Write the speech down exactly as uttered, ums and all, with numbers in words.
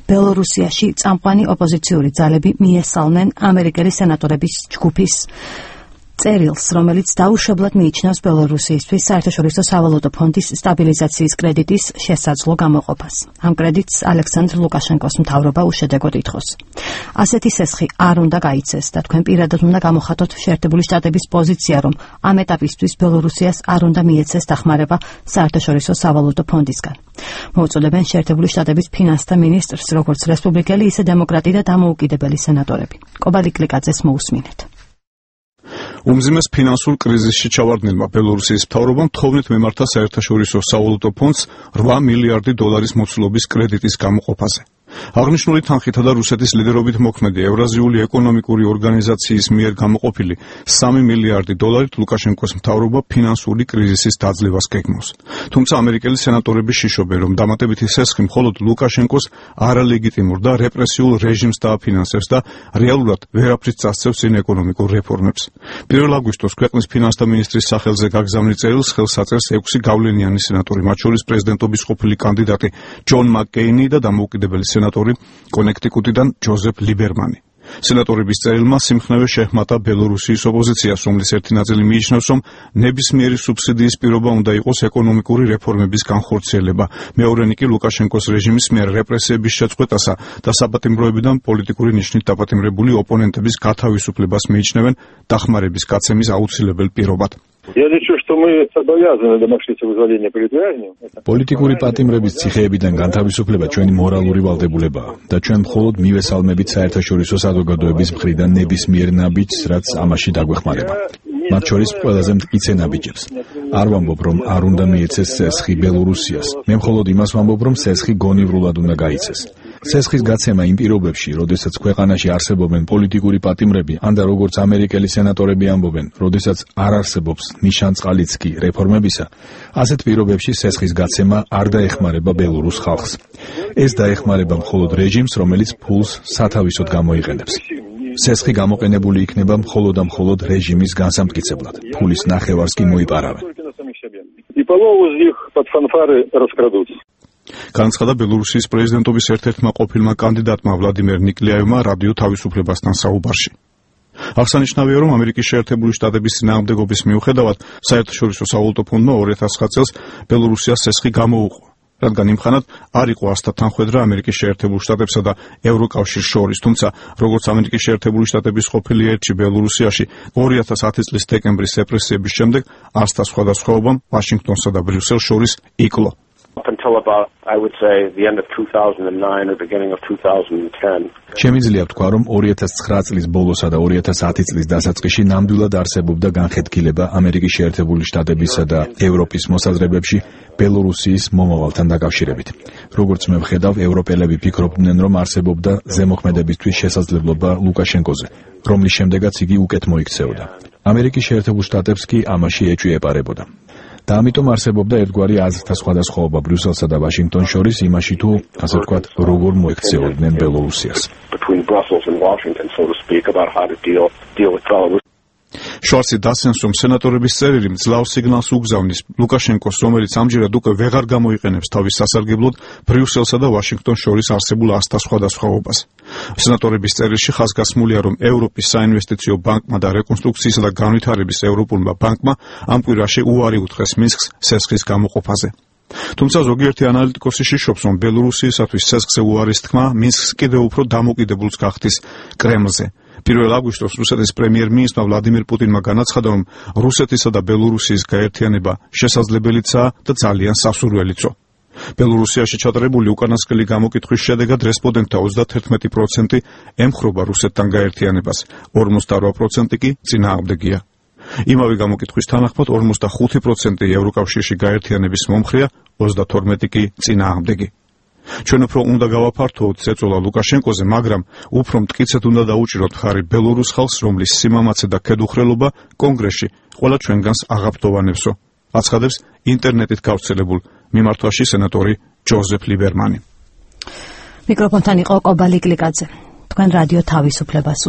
ბელორუსიაში წამყვანი ოპოზიციური ძალები მიესალმნენ ამერიკელი სენატორების ჯგუფის წერილს, რომელიც დაუშვებლად მიიჩნევს ბელორუსიისთვის საერთაშორისო სავალუტო ფონდის სტაბილიზაციის კრედიტის შესაძლო გამოყოფას. ამ კრედიტს ალექსანდრ ლუკაშენკოს მთავრობა უშედეგოდ ითხოვს. ასეთი სესხი არ უნდა გაიცეს და თქვენ პირადად უნდა გამოხატოთ შეერთებული შტატების პოზიცია, რომ ამ ეტაპისთვის ბელორუსიას არ უნდა მიეცეს დახმარება საერთაშორისო სავალუტო ფონდისგან. მოუწოდებენ შეერთებული შტატების ფინანსთა მინისტრს, როგორც რესპუბლიკელი, ისე დემოკრატი და დამოუკიდებელი სენატორები. კობალი კლიკაძეს მოусმინეთ. უმძიმეს ფინანსურ კრიზისში ჩავარდნილმა ბელორუსიის მთავრობამ თხოვნით მიმართა საერთაშორისო სავალუტო ფონდს რვა მილიარდი დოლარის მოცულობის კრედიტის გამოყოფაზე. აღნიშნული თანხითა და რუსეთის ლიდერობით მოქმედი ევრაზიული ეკონომიკური ორგანიზაციის მიერ გამოყოფილი სამი მილიარდი დოლარით ლუკაშენკოს მთავრობა ფინანსური კრიზისის დაძლევას გეგმავს. თუმცა ამერიკელი სენატორები შიშობენ, რომ დამატებითი სესხი მხოლოდ ლუკაშენკოს არალეგიტიმურ და რეპრესიულ რეჟიმს დააფინანსებს და რეალურად ვერაფრით წასწევს წინ ეკონომიკურ რეფორმებს. პირველ აგვისტოს ქვეყნის ფინანსთა მინისტრის სახელზე გაგზავნილ წერილს ხელს აწერს ექვსი გავლენიანი სენატორი, მათ შორის პრეზიდენტობის ყოფილი კანდიდატი ჯონ მაკკეინი და დამოუკიდებელი სენატორი კონექტიკუტიდან ჯოზეფ ლიბერმანი. სენატორების წერილმა სიმხნევე შეჰმატა ბელორუსიის ოპოზიციას, რომლის ერთი ნაწილი მიიჩნევს, რომ ნებისმიერი სუბსიდიის პირობა უნდა იყოს ეკონომიკური რეფორმების განხორციელება. მეორენი კი ლუკაშენკოს რეჟიმის მიერ რეპრესიების შეწყვეტასა და საპატიმროებიდან პოლიტიკური ნიშნით დაპატიმრებული ოპონენტების გათავისუფლებას მიიჩნევენ დახმარების გაცემის აუცილებელ პირობად. Я лечу, что мы обязаны домашнего вызволения политвязнями. პოლიტიკური პატიმრების ციხეებიდან განთავისუფლება ჩვენი მორალური ვალდებულებაა და ჩვენ მხოლოდ მივესალმებით საერთაშორისო საზოგადოების მხრიდან ნებისმიერ ნაბიჯს, რაც ამაში დაგვეხმარება. მათ შორის ყველაზე მტკიცე ნაბიჯებს. არ ვამბობ, რომ არ უნდა მიეცეს სესხი ბელორუსიას. მე მხოლოდ იმას ვამბობ, რომ სესხი გონივრულად უნდა გაიცეს. სესხის გაცემა იმ პირობებში, როდესაც ქვეყანაში არსებობენ პოლიტიკური პატიმრები, ან და როგორც ამერიკელი სენატორები ამბობენ, როდესაც არ არსებობს ნიშანწყალიცკი რეფორმებისა, ასეთ პირობებში სესხის გაცემა არ დაეხმარება ბელორუს ხალხს. ეს დაეხმარება მხოლოდ რეჟიმს, რომელიც ფულს სათავისოდ გამოიყენებს. სესხი გამოყენებული იქნება მხოლოდ და მხოლოდ რეჟიმის განსამტკიცებლად. ფულის ნახევარს კი მოიპარავენ. განცხადა ბელორუსიის პრეზიდენტობის ერთ-ერთმა ყოფილმა კანდიდატმა ვლადიმერ ნიკლაევმა რადიო თავისუფლებასთან საუბარში. აღსანიშნავია, რომ ამერიკის შეერთებული შტატების წინააღმდეგობის მიუხედავად საერთაშორისო სავალუტო ფონდმა ორი ათას ცხრა წელს ბელორუსიას სესხი გამოუყო, რადგან იმხანად არ იყო ასთა თანხვედრა ამერიკის შეერთებულ შტატებსა და ევროკავშირს შორის. თუმცა, როგორც ამერიკის შეერთებული შტატების ყოფილი ელჩი ბელორუსიაში ორი ათას ათი წლის დეკემბრის რეპრესიების შემდეგ ასთა სხვადასხვაობამ ვაშინგტონსა და ბრიუსელს შორის იკლო. Up until about, I would say, the end of two thousand nine or beginning of two thousand ten. შემიძლია ვთქვა, რომ ორი ათას ცხრა წლის ბოლოსა და ორი ათას ათი წლის დასაწყისში ნამდვილად არსებობდა განხეთქილება ამერიკის შეერთებული შტატებისა და ევროპის მოსაზრებებში ბელორუსიის მომავალთან დაკავშირებით. როგორც მე ვხედავ, ევროპელები ფიქრობდნენ, რომ არსებობდა ზემოქმედებისთვის შესაძლებლობა ლუკაშენკოზე, რომლის შემდეგაც იგი უკეთ მოიქცეოდა. ამერიკის შეერთებულ შტატებს კი ამაში ეჭვი ეპარებოდა. და ამიტომ არსებობდა ერთგვარი აზრთა სხვადასხვაობა ბრიუსელსა და ვაშინგტონს შორის იმაში, თუ ასე ვთქვათ, როგორ მოექცეოდნენ ბელორუსიას. შორსი დასენს, რომ სენატორების წერილი მძლავრ სიგნალს უგზავნის ლუკაშენკოს, რომელიც ამჯერად უკვე ვეღარ გამოიყენებს თავის სასარგებლოდ ბრიუსელსა და ვაშინგტონს შორის არსებულ ასთა სხვადასხვაობას. სენატორების წერილში ხაზგასმულია, რომ ევროპის საინვესტიციო ბანკმა და რეკონსტრუქციისა და განვითარების ევროპულმა ბანკმა ამ კვირაში უარი უთხრეს მინსკს სესხის გამოყოფაზე. თუმცა ზოგიერთი ანალიტიკოსი შიშობს, რომ ბელორუსიისათვის სესხზე უარის თქმა მინსკს კიდევ უფრო დამოკიდებულს გახდის კრემლზე. პირველ აგვისტოს რუსეთის პრემიერ-მინისტრმა ვლადიმირ პუტინმა განაცხადა, რომ რუსეთისა და ბელორუსიის გაერთიანება შესაძლებელიცაა და ძალიან სასურველიცო. ბელორუსიაში ჩატარებული უკანასკნელი გამოკითხვის შედეგად რესპონდენტთა ოცდაათი პროცენტი ემხრობა რუსეთთან გაერთიანებას, ორმოცდარვა პროცენტი კი წინააღმდეგია. იმავე გამოკითხვის თანახმად ორმოცდახუთი პროცენტი ევროკავშირში გაერთიანების მომხრეა, ოცდათორმეტი კი წინააღმდეგი. ჩვენ უფრო უნდა გავაფართოვოთ წეწოლა ლუკაშენკოზე, მაგრამ უფრო მტკიცედ უნდა დაუჭიროთ ხარი ბელორუს ხალხს, რომლის სიმამაცე და ქედუხრელობა კონგრესში ყველა ჩვენგანს აღაბდოვანებსო. აცხადებს ინტერნეტით გავრცელებულ მიმართვაში სენატორი ჯოზეფ ლიბერმანი. მიკროფონთან იყო კობალი კლიკაძე. თქვენ რადიო თავისუფლებას